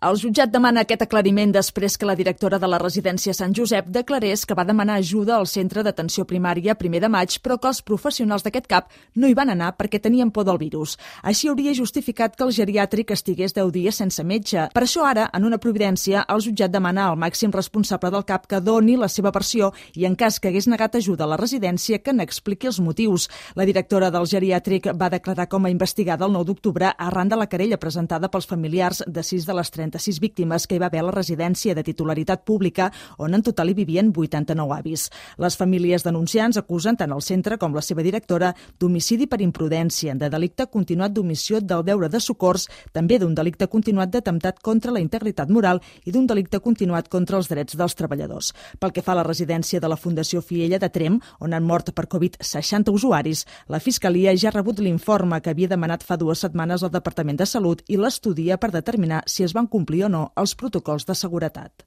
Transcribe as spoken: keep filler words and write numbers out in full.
El jutjat demana aquest aclariment després que la directora de la residència Sant Josep declarés que va demanar ajuda al centre d'atenció primària primer de maig, però que els professionals d'aquest cap no hi van anar perquè tenien por del virus. Així hauria justificat que el geriàtric estigués deu dies sense metge. Per això ara, en una providència, el jutjat demana al màxim responsable del cap que doni la seva versió i, en cas que hagués negat ajuda a la residència, que n'expliqui els motius. La directora del geriàtric va declarar com a investigada el nou d'octubre arran de la querella presentada pels familiars de sis de les trenta-sis víctimes que hi va haver a la residència de titularitat pública, on en total hi vivien vuitanta-nou avis. Les famílies denunciants acusen tant el centre com la seva directora d'homicidi per imprudència, de delicte continuat d'omissió del deure de socors, també d'un delicte continuat d'atemptat contra la integritat moral i d'un delicte continuat contra els drets dels treballadors. Pel que fa a la residència de la Fundació Fiella de Tremp, on han mort per Covid seixanta usuaris, la Fiscalia ja ha rebut l'informe que havia demanat fa dues setmanes al Departament de Salut i l'estudia per determinar si es van complir o no els protocols de seguretat.